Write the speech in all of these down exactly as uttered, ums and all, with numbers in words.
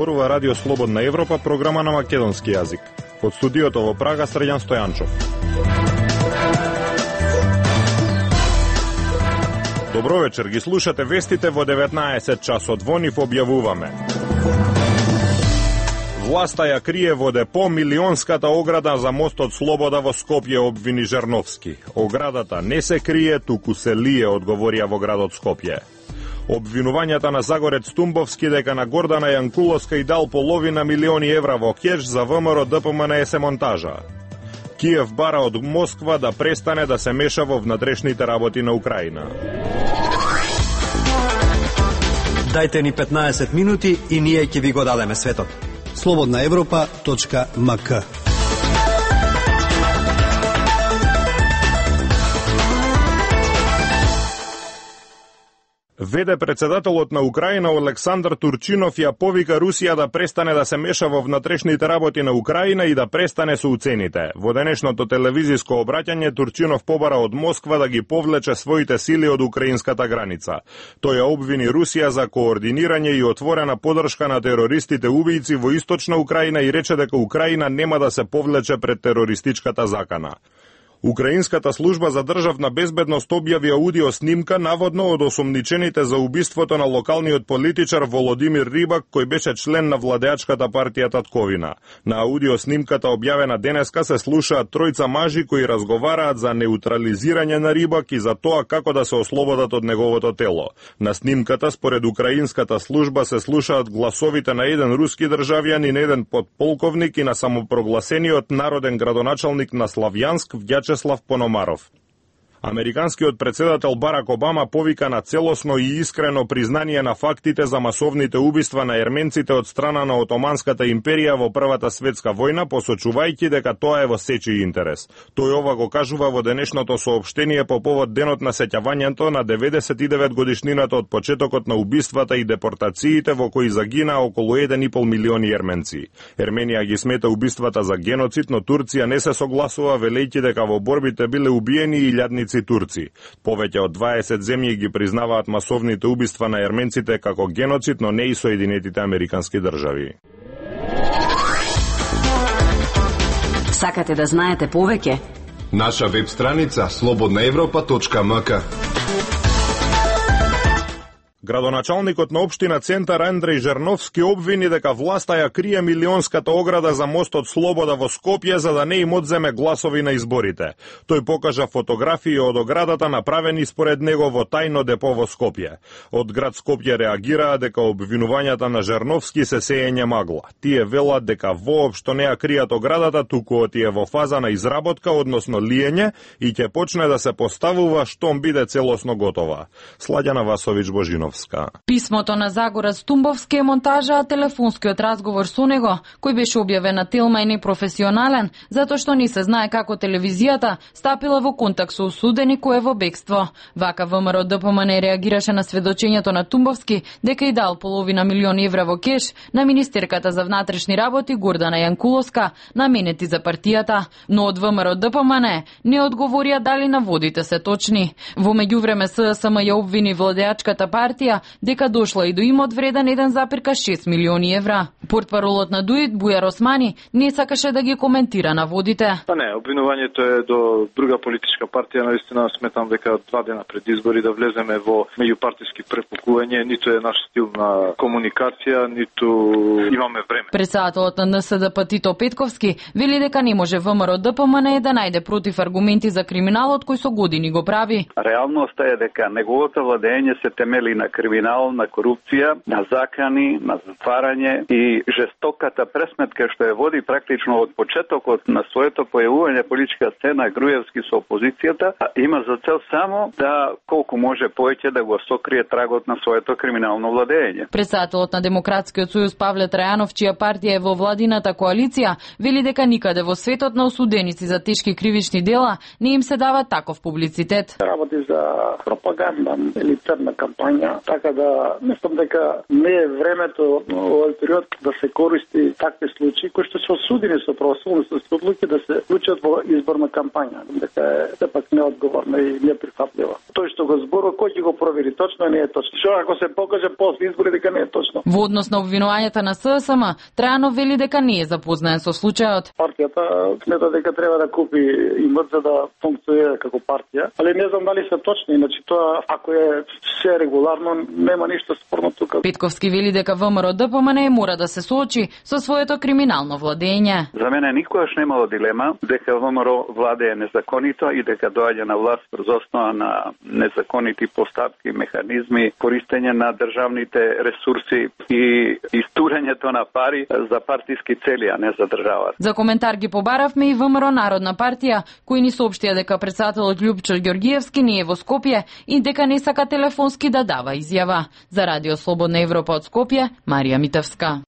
Зборува Радио Слободна Европа, програма на македонски јазик. Од студиото во Прага, Срđan Стојанчов. Добро вечер, ги слушате вестите во деветнаесет часот. Во нив објавуваме: власта ја крие во депо милионската ограда за мостот Слобода во Скопје, обвини Жерновски. Оградата не се крие, туку се лие, одговорија во градот Скопје. Обвинувањата на Загорец Тумбовски дека на Гордана Јанкуловска и дал половина милиони евра во кеш за ВМРО ДПМН се монтажа. Киев бара од Москва да престане да се меша во внатрешните работи на Украина. Дајте ни петнаесет минути и ние ќе ви го дадеме светот. слободна европа точка ем ка. Веде председателот на Украина Олександар Турчинов ја повика Русија да престане да се меша во внатрешните работи на Украина и да престане со уцените. Во денешното телевизиско обраќање Турчинов побара од Москва да ги повлече своите сили од украинската граница. Тој ја обвини Русија за координирање и отворена подршка на терористите убијци во источна Украина и рече дека Украина нема да се повлече пред терористичката закана. Украинската служба за државна безбедност објави аудио снимка наводно од осомничените за убиството на локалниот политичар Володимир Рибак, кој беше член на владеачката партија Татковина. На аудио снимката објавена денеска се слушаат тројца мажи кои разговараат за неутрализирање на Рибак и за тоа како да се ослободат од неговото тело. На снимката, според украинската служба, се слушаат гласовите на еден руски државјан, на еден подполковник и на самопрогласениот народен градоначалник на Славјанск, Вјачеслав Пономаров. Американскиот председател Барак Обама повика на целосно и искрено признание на фактите за масовните убиства на ерменците од страна на Отоманската империја во Првата светска војна, посочувајќи дека тоа е во сечи интерес. Тој ова го кажува во денешното соопштение по повод денот на сеќавањето на деветдесет и девет годишнината од почетокот на убиствата и депортациите во кои загина околу еден и пол милиони ерменци. Ерменија ги смета убиствата за геноцид, но Турција не се согласува, велејќи дека во борбите биле убиени илјадници турци. Повеќе од дваесет земји ги признаваат масовните убиства на ерменците како геноцид, но не и Соединетите Американски држави. Сакате да знаете повеќе? Наша веб страница слободна европа точка ем ка. Градоначалникот на општина Центар Андреј Жерновски обвини дека власта ја крие милионската ограда за мостот Слобода во Скопје за да не им одземе гласови на изборите. Тој покажа фотографии од оградата направени според него во тајно депо во Скопје. Од град Скопје реагираа дека обвинувањата на Жерновски се сеење магла. Тие велат дека воопшто не ја кријат оградата, туку тие во фаза на изработка, односно лиење, и ќе почне да се поставува штом биде целосно готова. Сладјана Васовиќ Божинов. Писмото на Загорец Тумбовски е монтажа, а телефонскиот разговор со него, кој беше објавен на Телма, е непрофесионален, затоа што не се знае како телевизијата стапила во контакт со осудени кој е во бегство. Вака ВМРО ДПМН реагираше на сведочењето на Тумбовски дека и дал половина милион евра во кеш на министерката за внатрешни работи Гордана Јанкуловска, наменети за партијата, но од ВМРО ДПМН не одговорија дали наводите се точни. Во меѓувреме ССМ ја обвини владеачката партија дека дошла и до имот вреден еден запирка шест милиони евра. Портпаролот на ДУИД Бујар Османи не сакаше да ги коментира наводите. Па не, обвинувањето е до друга политичка партија. Наистина сметам дека два дена пред избори да влеземе во меѓупартиски препукување ниту е наш стил на комуникација, ниту имаме време. Председателот на НСДП Тито Петковски вели дека не може ВМРО ДПМН да најде против аргументи за криминалот кој со години го прави. Реалноста е дека неговото владење се темели на криминал, на корупција, на закани, на затварање и жестоката пресметка што ја води практично од почетокот на своето појавување политичка сцена Груевски со опозицијата, има за цел само да колку може повеќе да го сокрие трагот на своето криминално владење. Председателот на Демократскиот сојуз Павле Трајанов, чија партија е во владината коалиција, вели дека никаде во светот на осуденици за тешки кривични дела не им се дава таков публицитет. Работи за пропаганда или црна кампања така да мислам дека не е времето во овој период да се користи такви случаи кои што се осудени со правосудни одлуки да се вклучат во изборна кампања, дека е сепак неодговорно и неприфатливо. Тој што го зборува, кој ќе го провери точно, не е точно. Што ако се покаже после избори дека не е точно? Во однос на обвинувањата на ССМ, Трајанов вели дека не е запознаен со случајот. Партијата смета дека треба да купи имот за да функционира како партија, али не знам дали се точни, иначе тоа ако е се регуларно нема ништо спорно тука. Петковски вели дека ВМРО Д П М Н мора да се соочи со своето криминално владење. За мене никогаш немало дилема дека ВМРО владее незаконито и дека доаѓа на власт врз основа на незаконити поставки, механизми, користење на државните ресурси и истурењето на пари за партиски цели, а не за државата. За коментар ги побаравме и ВМРО Народна партија, кои ни соопштија дека претседателот Љупчо Ѓоргиевски не е во Скопје и дека не сака телефонски да дава изјава. За Радио Слободна Европа од Скопје, Марија Митевска.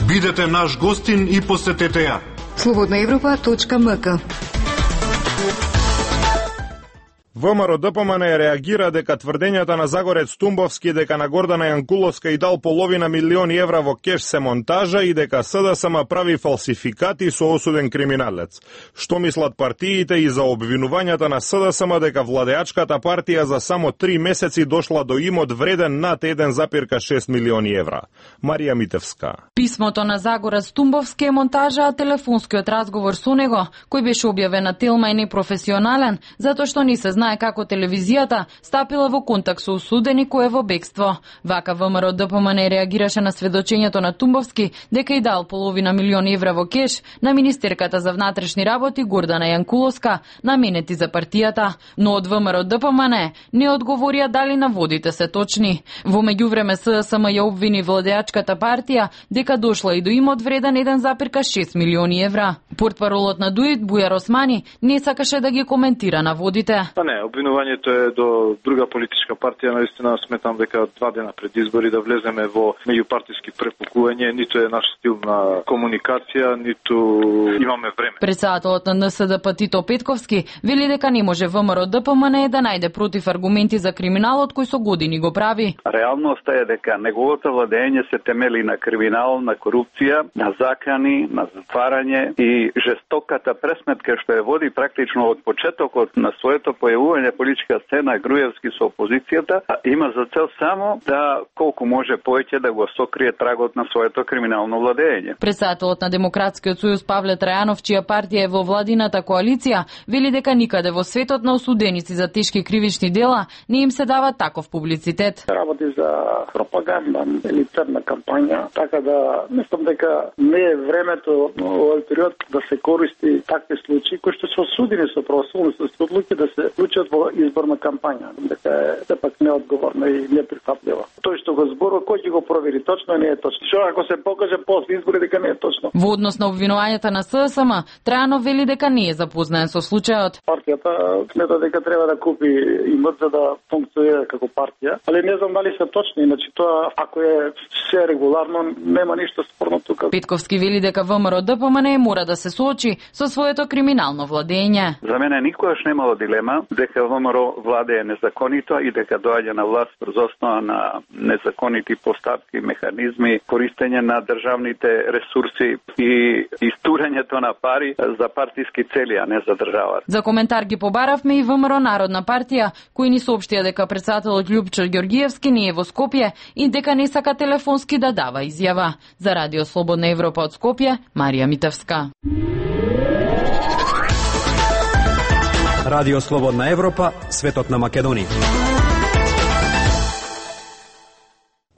Бидете наш гостин и посетете ја. слободна европа точка м к. ВМРО Д П М Н реагира дека тврдењата на Загорец Тумбовски дека на Гордана Јанкуловска и дал половина милиони евра во кеш се монтажа и дека С Д С М прави фалсификати со осуден криминалец. Што мислат партиите и за обвинувањата на С Д С М дека владеачката партија за само три месеци дошла до имот вреден над еден запирка шест милиони евра? Марија Митевска. Писмото на Загорец Тумбовски е монтажа, а телефонскиот разговор со него, кој беше објавен на Телма, е непрофесионален, затоа што не се знае како телевизијата стапила во контакт со осудени кој е во бегство. Вака ВМРО Д П М Н реагираше на сведочењето на Тумбовски дека и дал половина милион евра во кеш на министерката за внатрешни работи Гордана Јанкуловска, наменети за партијата, но од ВМРО Д П М Н не одговорија дали наводите се точни. Во меѓувреме С Д С М ја обвини владеачката партија дека дошла и до имот вреден еден запирка шест милиони евра. Портпаролот на Дуит Бујар Османи не сакаше да ги коментира наводите. Не, обвинувањето е до друга политичка партија. Наистина сметам дека два дена пред избори да влеземе во меѓупартиски препукување, ниту е наш стил на комуникација, ниту имаме време. Претседателот на Н С Д П Тито Петковски вели дека не може ВМРО Д П М Н да најде против аргументи за криминалот кој со години го прави. Реалноста е дека неговото владење се темели на криминал, на корупција, на закани, на затварање и жестоката пресметка што ја води практично од почетокот на своето појавување политичка сцена Груевски со опозицијата, има за цел само да колку може повеќе да го сокрие трагот на своето криминално владење. Претседателот на Демократскиот сојуз Павле Трајанов, чија партија е во владината коалиција, вели дека никаде во светот на осуденици за тешки кривични дела не им се дава таков публицитет. Работи за пропаганда или црна кампања, така да мислам дека не е времето во овој период да се користи такви случаи кои што се осудени со правосудни одлуки да се вклучат во изборна кампања, дека е сепак неодговорно и неприфатливо. Тој што го зборува, кој ќе го провери точно, не е точно. Што ако се покаже после избори дека не е точно? Во однос на обвинувањата на С Д С М, Трајанов вели дека не е запознаен со случајот. Партијата смета дека треба да купи имот за да функционира како партија, али не знам дали се точни, иначе тоа ако е се регуларно нема ништо спорно тука. Петковски вели дека ВМРО Д П М Н мора да се соочи со своето криминално владење. За мене никогаш немало дилема дека ВМРО владее незаконито и дека доаѓа на власт врз основа на незаконити поставки, механизми, користење на државните ресурси и истурењето на пари за партиски цели, а не за државата. За коментар ги побаравме и ВМРО Народна партија, кои ни соопштија дека претседателот Љупчо Ѓоргиевски не е во Скопје и дека не сака телефонски да дава изјава. За Радио Слободна Европа од Скопје, Марија Митевска. Радио Слободна Европа, светот на Македонија.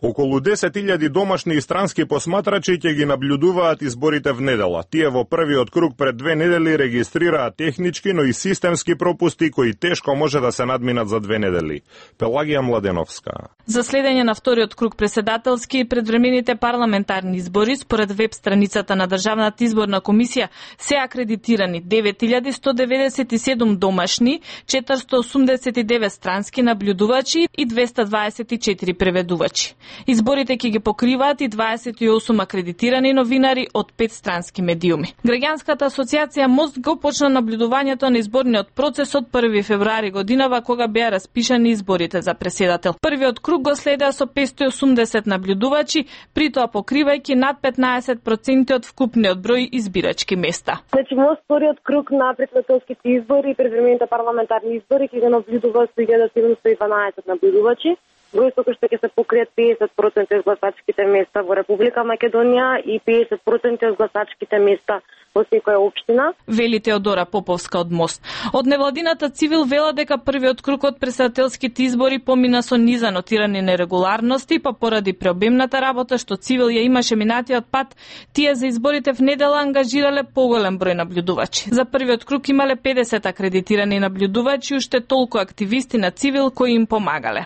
Околу десет илјади домашни и странски посматрачи ќе ги наблюдуваат изборите в недела. Тие во првиот круг пред две недели регистрираат технички, но и системски пропусти кои тешко може да се надминат за две недели. Пелагија Младеновска. За следење на вториот круг преседателски и предвремените парламентарни избори, според веб страницата на Државната изборна комисија, се акредитирани девет илјади сто деветдесет и седум домашни, четиристотини осумдесет и девет странски наблюдувачи и двесте дваесет и четири преведувачи. Изборите ќе ги покриваат и дваесет и осум акредитирани новинари од пет странски медиуми. Граѓанската асоциација Мост го почна наблюдувањето на изборниот процес од први февруари годинава, кога беа распишани изборите за преседател. Првиот круг го следеа со петстотини и осумдесет наблюдувачи, при тоа покривајќи над петнаесет проценти од вкупниот број избирачки места. Значи, Мост вториот круг на претседателските избори и предвремените парламентарни избори ќе го наблюдува со илјада седумстотини и дванаесет наблюдувачи. Бројство кој што ќе се покријат педесет проценти од гласачките места во Република Македонија и педесет проценти од гласачките места во секоја општина. Вели Теодора Поповска од Мост. Од невладината Цивил вела дека првиот круг од претседателските избори помина со низа нотирани нерегуларности, па поради преобемната работа што Цивил ја имаше минатиот пат, тие за изборите в недела ангажирале поголем број наблюдувачи. За првиот круг имале педесет акредитирани наблюдувачи, уште толку активисти на Цивил кои им помагале.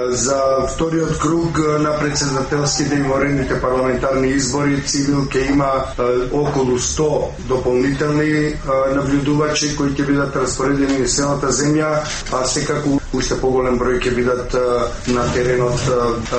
За вториот круг на претседателските и ворените парламентарни избори Цивил ќе има околу сто дополнителни наблюдувачи кои ќе бидат распоредени на целата земја, а секако уште поголем број ќе бидат на теренот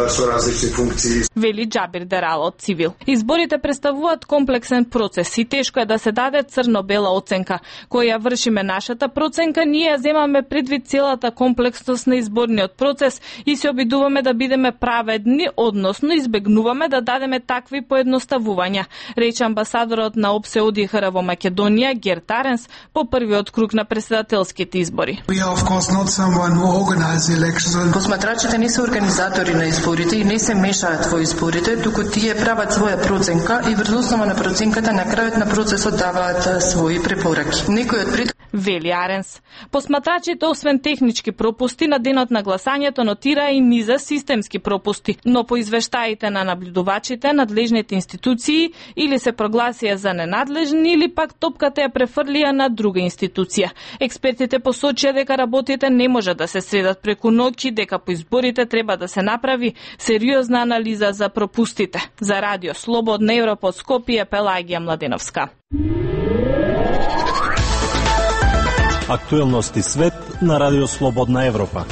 со различни функции. Вели Џабир Дерал од Цивил. Изборите представуваат комплексен процес и тешко е да се даде црно-бела оценка. Која вршиме нашата проценка, ние ја земаме предвид целата комплексност на изборниот процес и се обидуваме да бидеме праведни, односно избегнуваме да дадеме такви поедноставувања, рече амбасадорот на ОПСЕ ОДИХР во Македонија Герт Аренс по првиот круг на претседателските избори. Посматрачите не се организатори на изборите и не се мешаат во изборите, туку тие прават своја проценка и врз основа на проценката на крајот на процесот даваат свои препораки. Некој од пред Вели Аренс. Посматрачите, освен технички пропусти, на денот на гласањето нотира и низа системски пропусти, но по извештаите на наблюдувачите, надлежните институции или се прогласија за ненадлежни или пак топката ја префрлија на друга институција. Експертите посочија дека работите не може да се средат преку ноќ, дека по изборите треба да се направи сериозна анализа за пропустите. За Радио Слободна Европа од Скопје, Пелагија Младеновска. Актуелности свет на Радио Слободна Европа.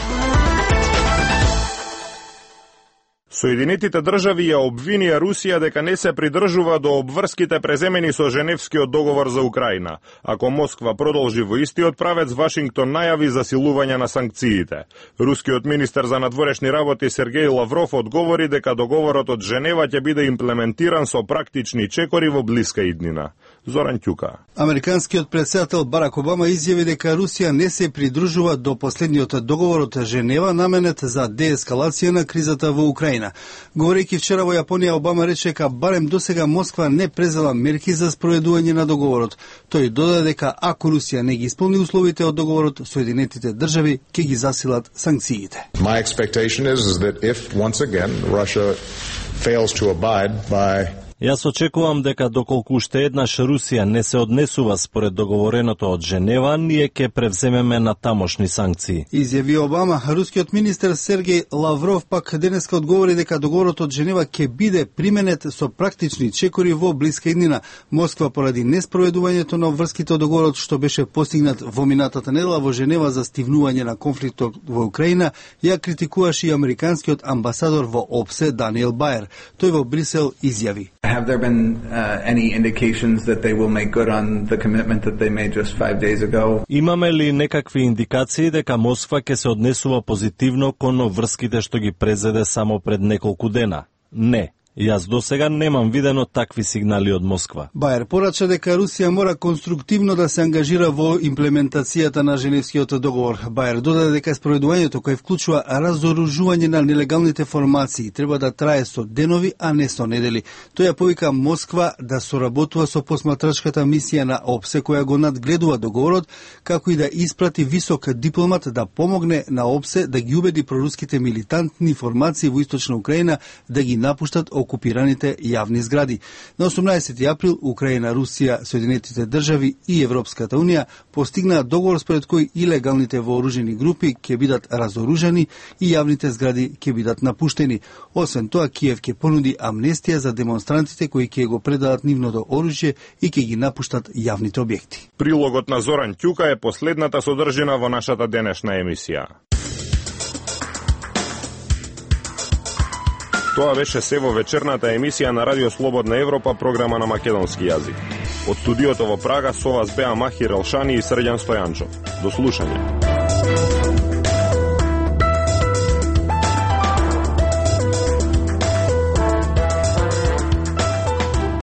Соединетите држави ја обвинија Русија дека не се придржува до обврските преземени со Женевскиот договор за Украина. Ако Москва продолжи во истиот правец, Вашингтон најави засилување на санкциите. Рускиот министер за надворешни работи Сергеј Лавров одговори дека договорот од Женева ќе биде имплементиран со практични чекори во блиска иднина. Зоран Ќука. Американскиот претседател Барак Обама изјави дека Русија не се придржува до последниот договор од Женева наменет за деескалација на кризата во Украина. Говорејќи вчера во Јапонија, Обама рече дека барем досега Москва не презела мерки за спроведување на договорот. Тој додаде дека ако Русија не ги исполни условите од договорот, Соединетите држави ќе ги засилат санкциите. My expectation is, is that if once again Russia fails to abide by Јас очекувам дека доколку уште еднаш Русија не се однесува според договореното од Женева, ние ќе превземеме на тамошни санкции. Изјави Обама. Рускиот министер Сергеј Лавров пак денеска одговори дека договорот од Женева ќе биде применет со практични чекори во блиска иднина. Москва поради неспроведувањето на врските од договорот што беше постигнат во минатата недела во Женева за стивнување на конфликтот во Украина, ја критикуваше и американскиот амбасадор во ОПСЕ Даниел Баер. Тој во Брисел изјави: Have there been uh, any indications that they will make good on the commitment that they made just five days ago? Имаме ли некакви индикации дека Москва ќе се однесува позитивно кон врските што ги презеде само пред неколку дена? Не. Јас досега немам видено такви сигнали од Москва. Баер порача дека Русија мора конструктивно да се ангажира во имплементацијата на Женевскиот договор. Баер додаде дека спроведувањето кој вклучува разоружување на нелегалните формации треба да трае со денови, а не со недели. Тој ја повика Москва да соработува со посматрачката мисија на ОПСЕ која го надгледува договорот, како и да испрати висок дипломат да помогне на ОПСЕ да ги убеди проруските милитантни формации во Источна Украина да ги напуштат окупираните јавни згради. На осумнаесети април Украина, Русија, Соединетите држави и Европската унија постигнаа договор според кој илегалните вооружени групи ќе бидат разоружени и јавните згради ќе бидат напуштени. Освен тоа, Киев ќе понуди амнестија за демонстрантите кои ќе го предадат нивното оружје и ќе ги напуштат јавните објекти. Прилогот на Зоран Ќука е последната содржина во нашата денешна емисија. Тоа беше се во вечерната емисија на Радио Слободна Европа, програма на македонски јазик. Од студиото во Прага со вас беа Махир Елшани и Срđan Стојанчов. До слушање.